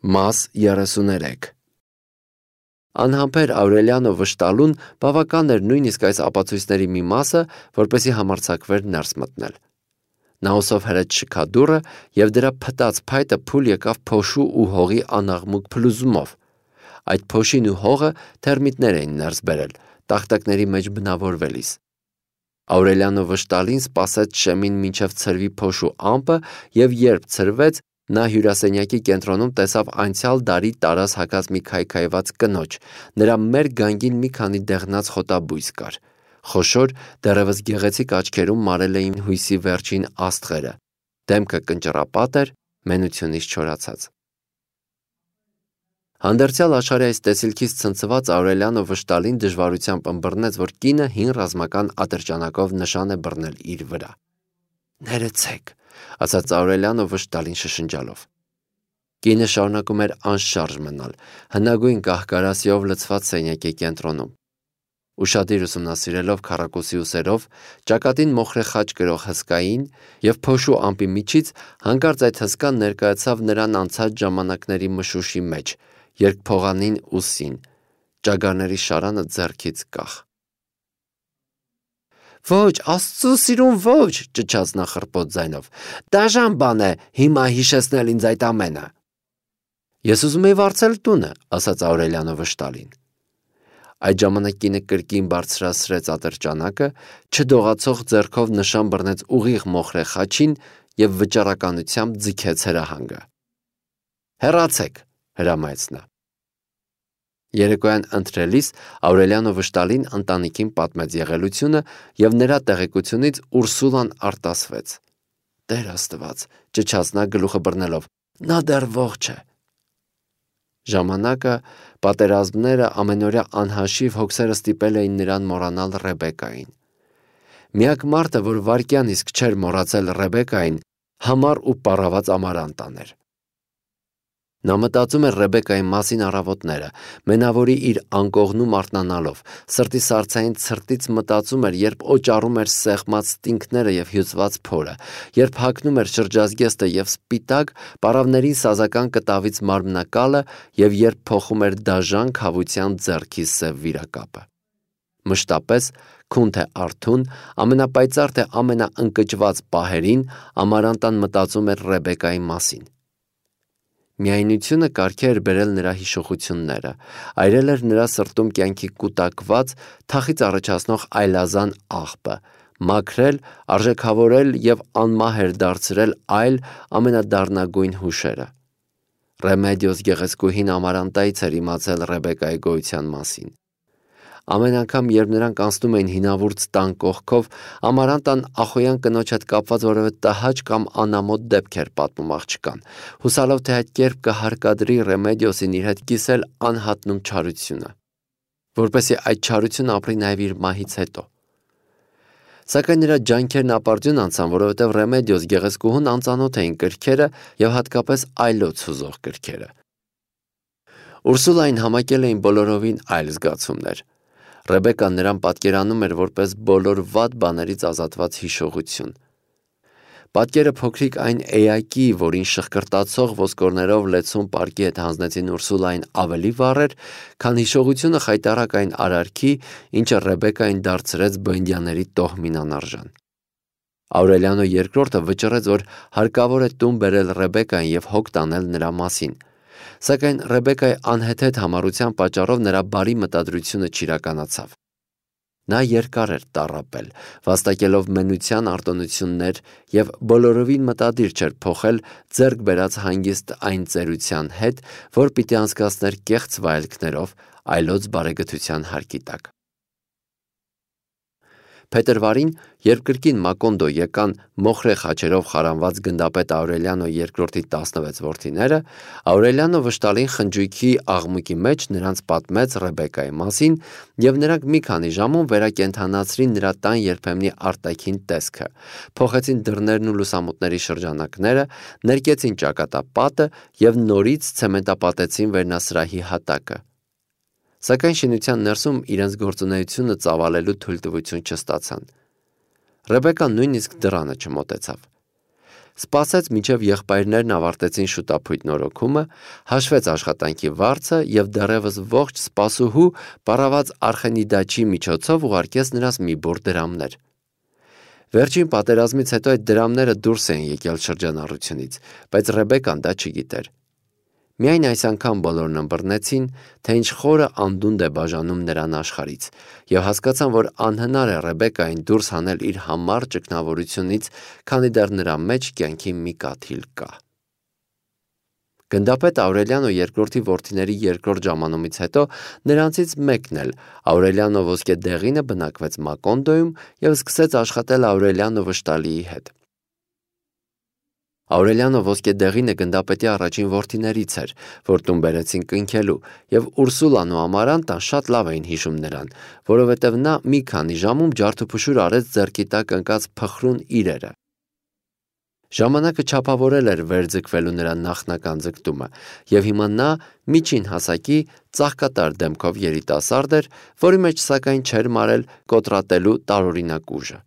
Մաս 33 Անհամբեր Աուրելիանո վշտալուն բավական էր նույնիսկ այս ապացույցների մի մասը, որպեսզի համարձակվեր ներս մտնել։ Նա ուսով հրեց շքադուռը և դրա փտած փայտը փուլ եկավ փոշու ու հողի անաղմուկ փլուզումով։ Այդ փոշին ու հողը թերմիտներ էին ներս բերել, տախտակների մեջ բնավորվելիս։ Աուրելիանո վշտալին սպասեց շեմին մինչև ցրվի փոշու ամպը և երբ ցրվեց, նա հյուրասենյակի կենտրոնում տեսավ անցյալ դարի տարած հագած մի քայքայված կնոջ, նրա մեր գանգին մի քանի դեղնած խոտաբույս կար, խոշոր, դեռևս գեղեցիկ աչքերում մարել էին հույսի վերջին աստղերը, դեմքը կնճռապատ էր, մենությունից չորացած։ Հանդերձյալ աշխարհի այս տեսիլքից ցնցված Աուրելիանո վշտալին դժվարությամբ ըմբռնեց, որ կինը հին ռազմական ատրճանակով նշան է բռնել իր վրա։ «Ներեցեք», ասաց Աուրելիանո վշտալին շշնջալով։ Կինը շարունակում էր անշարժ մնալ, հնագույն կահ-կարասիով լցված սենյակի կենտրոնում։ Ուշադիր ուսումնասիրելով քառակուսի ուսերով, ճակատին մոխրե խաչ կրող հսկային և փոշու ամպի միջից հանկարծ այդ հսկան ներկայացավ նրան անցած ժամանակների մշուշի մեջ, երկփողանին ուսին, ճագարների շարանը ձեռքից կախ։ «Ոչ, Աստծո սիրուն, ոչ», ճչաց նա խռպոտ ձայնով, «դաժան բան է հիմա հիշեցնել ինձ այդ ամենը»։ «Ես ուզում էի վարձել տունը», ասաց Աուրելիանո վշտալին։ Այդ ժամանակ կինը կրկին բարձրացրեց ատրճանակը, չդողացող ձեռքով նշան բռնեց ուղիղ մոխրե խաչին և վճռականությամբ ձգեց հրահանգը։ «Հեռացեք», հրամայեց նա։ Երեկոյան ընթրելիս Աուրելիանո վշտալին ընտանիքին պատմեց եղելությունը և նրա տեղեկությունից Ուրսուլան արտասվեց։ «Տեր Աստված», ճչաց նա գլուխը բռնելով, «նա դեռ ողջ է»։ Ժամանակը, պատերազմները, ամենօրյա անհաշիվ հոգսերը ստիպել էին նրան մոռանալ Ռեբեկային։ Միակ մարդը, որ վայրկյան իսկ չէր մոռացել Ռեբեկային, համառ ու պառաված Ամարանտան էր։ Նա մտածում էր Ռեբեկայի մասին առավոտները, մենավորի իր անկողնում արթնանալով, սրտի սառցային ցրտից մտածում էր, երբ օճառում էր սեղմած ստինգները և հյուծված փորը, երբ հագնում էր շրջազգեստը և սպիտակ, պառավների սազական կտավից մարմնակալը և երբ փոխում էր դաժան քավության ձեռքի սև վիրակապը։ Մշտապես, քուն թե արթուն, ամենապայծառ թե ամենաընկճված պահերին Ամարանտան մտածում էր Ռեբեկայի մասին։ Միայնությունը կարգի էր բերել նրա հիշողությունները, այրել էր նրա սրտում կյանքի կուտակված, թախիծ առաջացնող այլազան աղբը, մաքրել, արժեքավորել և անմահ էր դարձրել այլ ամենադառնագույն հուշերը։ Ռեմեդիոս գեղեցկուհին Ամարանտայից էր իմացել Ռեբեկայի գոյության մասին։ Ամեն անգամ, երբ նրանք անցնում էին հինավուրց տան կողքով, Ամարանտան ախոյան կնոջ հետ կապված որևէ տհաճ կամ անամոթ դեպք էր պատմում աղջկան, հուսալով, թե այդ կերպ կհարկադրի Ռեմեդիոսին իր հետ կիսել անհատնում չարությունը, որպեսզի այդ չարությունը ապրի նաև իր մահից հետո։ Սակայն նրա ջանքերն ապարդյուն անցան, որովհետև Ռեմեդիոս գեղեցկուհուն անծանոթ էին կրքերը և հատկապես այլոց հուզող կրքերը։ Ուրսուլային համակել էին բոլորովին այլ զգացումներ։ Ռեբեկան նրան պատկերանում էր որպես բոլոր վատ բաներից ազատված հիշողություն։ Պատկերը փոքրիկ այն էակի, որին շխկրտացող ոսկորներով լեցուն պարկի հետ հանձնեցին Ուրսուլային ավելի վառ էր, քան հիշողությունը խայտառակ այն արարքի, ինչը Ռեբեկային դարձրեց բոյնդյաների տոհմին անարժան։ Աուրելիանո II վճռեց, որ հարկավոր է տուն բերել Ռեբեկային և հոգ տանել նրա մասին։ Սակայն Ռեբեկայի անհեթեթ համառության պատճառով նրա բարի մտադրությունը չիրականացավ։ Նա երկար էր տառապել, վաստակելով մենության արտոնություններ և բոլորովին մտադիր չէր փոխել ձեռք բերած հանգիստ այն ծերության հետ, որ պիտի անցկացներ կեղծ վայելքներով այլոց բարեգթության հարկի տակ։ Փետրվարին, երբ կրկին Մակոնդո եկան մոխրե խաչերով խարանված գնդապետ Աուրելիանո II-ի 16 որդիները, Աուրելիանո վշտալին խնջույքի աղմուկի մեջ նրանց պատմեց Ռեբեկայի մասին և նրանք մի քանի ժամում վերակենդանացրին նրա տան երբեմնի արտաքին տեսքը, փոխեցին դռներն ու լուսամուտների շրջանակները, ներկեցին ճակատապատը և նորից ցեմենտապատեցին վերնասրահի հատակը։ Սակայն շինության ներսում իրենց գործունեությունը ծավալելու թույլտվություն չստացան։ Ռեբեկան նույնիսկ դռանը չմոտեցավ։ Սպասեց մինչև եղբայրներն ավարտեցին շուտափույթ նորոգումը, հաշվեց աշխատանքի վարձը և դեռևս ողջ սպասուհու պարաված Արխենիդաչի միջոցով ուղարկեց նրանց մի բուռ դրամներ։ Վերջին պատերազմից հետո այդ դրամները դուրս էին եկել շրջանառությունից, բայց Ռեբեկան դա չգիտեր։ Միայն այս անգամ բոլորն ըմբռնեցին, թե ինչ խորը անդունդ է բաժանում նրան աշխարհից, և հասկացան, որ անհնար է Ռեբեկային դուրս հանել իր համառ ճգնավորությունից, քանի դեռ նրա մեջ կյանքի մի կաթիլ կա։ Գնդապետ Աուրելիանո երկրորդի որդիների երկրորդ ժամանումից հետո նրանցից մեկն էլ, Աուրելիանո Ոսկեդեղինը, բնակվեց Մակոնդոյում և սկսեց աշխատել Աուրելիանո Վշտալիի հետ։ Աուրելիանո Ոսկեդեղինը գնդապետի առաջին որդիներից էր, որ տուն բերեցին կնքելու, և Ուրսուլան ու Ամարանտան շատ լավ էին հիշում նրան, որովհետև նա մի քանի ժամում ջարդուփշուր արեց ձեռքի տակ ընկած փխրուն իրերը։ Ժամանակը չափավորել էր վերձգվելու նրա նախնական ձգտումը, և հիմա նա միջին հասակի ծաղկատար դեմքով երիտասարդ էր, որի մեջ սակայն չէր մարել կոտրատելու տարօրինակ ուժը։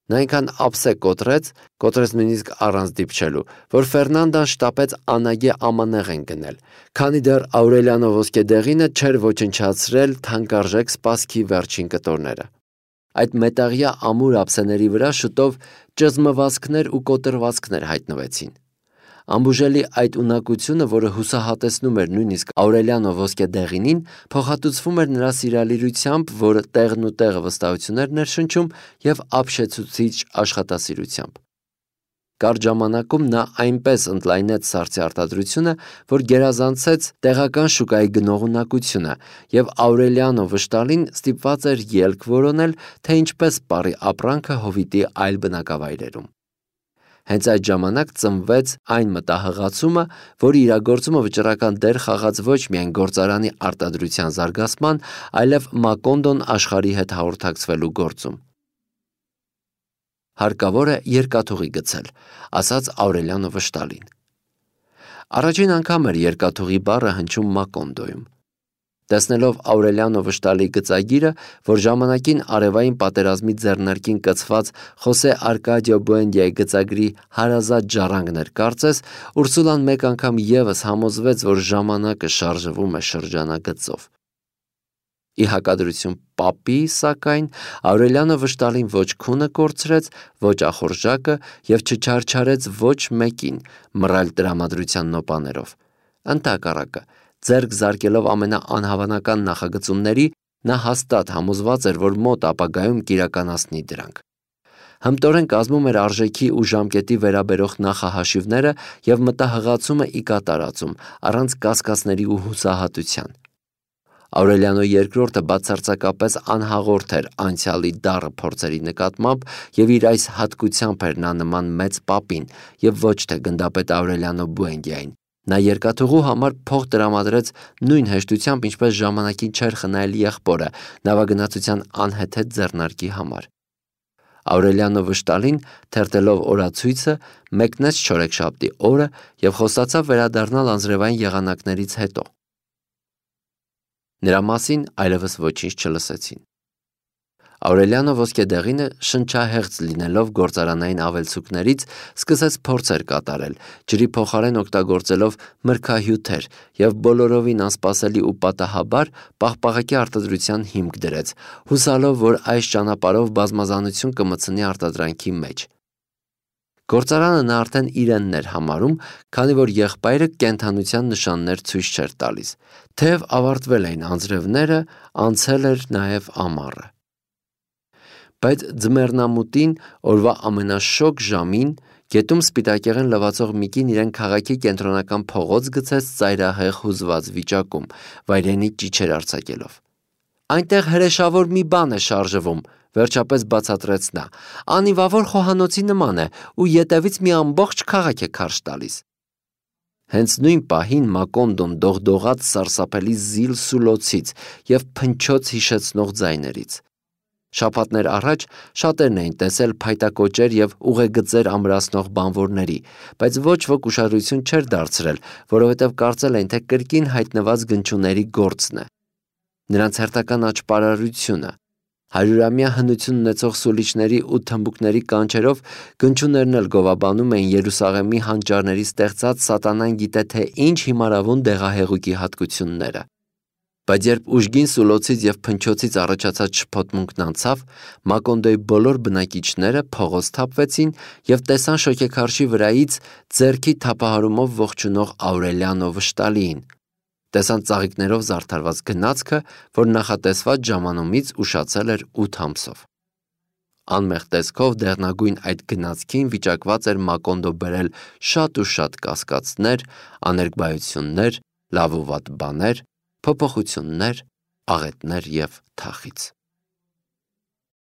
Նա այնքան ափսե կոտրեց նույնիսկ առանց դիպչելու, որ Ֆերնանդան շտապեց անագե ամանեղեն գնել, քանի դեռ Աուրելիանո Ոսկեդեղինը չէր ոչնչացրել թանկարժեք սպասքի վերջին կտորները։ Այդ մետաղյա ամուր ափսեների վրա շուտով ճզմվածքներ ու կոտրվածքներ հայտնվեցին։ Անբուժելի այդ ունակությունը, որը հուսահատեցնում էր նույնիսկ Աուրելիանո Ոսկեդեղինին, փոխհատուցվում էր նրա սիրալիրությամբ, որը տեղն ու տեղը վստահություններ ներշնչում, և ապշեցուցիչ աշխատասիրությամբ։ Կարճ ժամանակում նա այնպես ընդլայնեց սառցի արտադրությունը, որ գերազանցեց տեղական շուկայի գնողունակությունը, և Աուրելիանո Վշտալին ստիպված էր ելք որոնել, թե ինչպես պարի ապրանքը հովիտի այլ բնակավայրերում։ Հենց այդ ժամանակ ծնվեց այն մտահղացումը, որի իրագործումը վճռական դեր խաղաց ոչ միայն գործարանի արտադրության զարգացման, այլև Մակոնդոն աշխարհի հետ հաղորդակցվելու գործում։ Հարկավոր է երկաթուղի գցել, ասաց Աուրելիանո Վշտալին։ Առաջին անգամ էր երկաթուղի բառը հնչում Մակոնդոյում։ Տեսնելով Աուրելիանո Վշտալիի գծագիրը, որ ժամանակին արևային պատերազմի ձեռնարկին կցված Խոսե Արկադիո Բուենդիայի գծագրի հարազատ ժառանգն էր կարծես, Ուրսուլան մեկ անգամ ևս համոզվեց, որ ժամանակը շարժվում է շրջանագծով։ Ի հակադրություն պապի, սակայն, Աուրելիանո Վշտալին ոչ քունը կորցրեց, ոչ ախորժակը և չչարչարեց ոչ մեկին մռայլ տրամադրության նոպաներով։ Ընդհակառակը, ձեռք զարկելով ամենաանհավանական նախագծումների, նա հաստատ համոզված էր, որ մոտ ապագայում կիրականացնի դրանք։ Հմտորեն կազմում էր արժեքի ու ժամկետի վերաբերող նախահաշիվները և մտահղացումը ի կատարածում, առանց կասկածների ու հուսահատության։ Աուրելիանո II բացարձակապես անհաղորդ էր անցյալի դառը փորձերի նկատմամբ, և իր այս հատկությամբ էր նա նման մեծ պապին, և ոչ թե գնդապետ Աուրելիանո Բուենդիային։ Նա երկաթուղու համար փող տրամադրեց նույն հեշտությամբ, ինչպես ժամանակին չէր խնայել եղբորը նավագնացության անհեթեթ ձեռնարկի համար։ Աուրելիանո Վշտալին, թերթելով օրացույցը, մեկնեց չորեքշաբթի օրը և խոստացավ վերադառնալ անձրևային եղանակներից հետո։ Նրա մասին այլևս ոչինչ չլսեցին։ Աուրելիանո Ոսկեդեղինը, շնչահեղձ լինելով գործարանային ավելցուկներից, սկսեց փորձեր կատարել, ջրի փոխարեն օգտագործելով մրգահյութեր, և բոլորովին անսպասելի ու պատահաբար պաղպաղակի արտադրության հիմք դրեց, հուսալով, որ այս ճանապարհով բազմազանություն կմտցնի արտադրանքի մեջ։ Գործարանը նա արդեն իրենն էր համարում, քանի որ եղբայրը կենդանության նշաններ ցույց չէր տալիս։ Թեև ավարտվել էին անձրևները, անցել էր նաև ամառը։ Բայց ձմեռնամուտին, օրվա ամենաշոգ ժամին, գետում սպիտակեղեն լվացող մի կին իրեն քաղաքի կենտրոնական փողոց գցեց ծայրահեղ հուզված վիճակում, վայրենի ճիչեր արձակելով։ «Այնտեղ հրեշավոր մի բան է շարժվում», վերջապես բացատրեց նա։ «Անիվավոր խոհանոցի նման է, ու ետևից մի ամբողջ քաղաք է քարշ տալիս»։ Հենց նույն պահին Մակոնդոն դողդողաց սարսափելի զիլ սուլոցից և փնչոց հիշեցնող ձայներից։ Շաբաթներ առաջ շատերն էին տեսել փայտակոճեր և ուղեգծեր ամրացնող բանվորների, բայց ոչ ոք ուշադրություն չէր դարձրել, որովհետև կարծել էին, թե կրկին հայտնված գնչուների գործն է։ Նրանց հերթական աճպարարությունը, 100-ամյա հնություն ունեցող սուլիչների ու թմբուկների կանչերով գնչուներն էլ գովաբանում էին Երուսաղեմի հանճարների ստեղծած սատանան գիտե թե ինչ հիմարավուն դեղահեղուկի հատկությունները։ Բայց երբ ուժգին սուլոցից և փնչոցից առաջացած շփոթմունքն անցավ, Մակոնդոյի բոլոր բնակիչները փողոց թափվեցին և տեսան շոգեքարշի վրայից ձեռքի թափահարումով ողջունող Աուրելիան ու վշտալիին։ Տեսան ծաղիկներով զարդարված գնացքը, որ նախատեսված ժամանումից ուշացել էր 8 ամսով։ Անմեղ տեսքով դեղնագույն այդ գնացքին վիճակված էր Մակոնդո բերել շատ ու շատ կասկածներ, աներկբայություններ, լավ ու վատ բաներ, փոփոխություններ, աղետներ և թախիծ։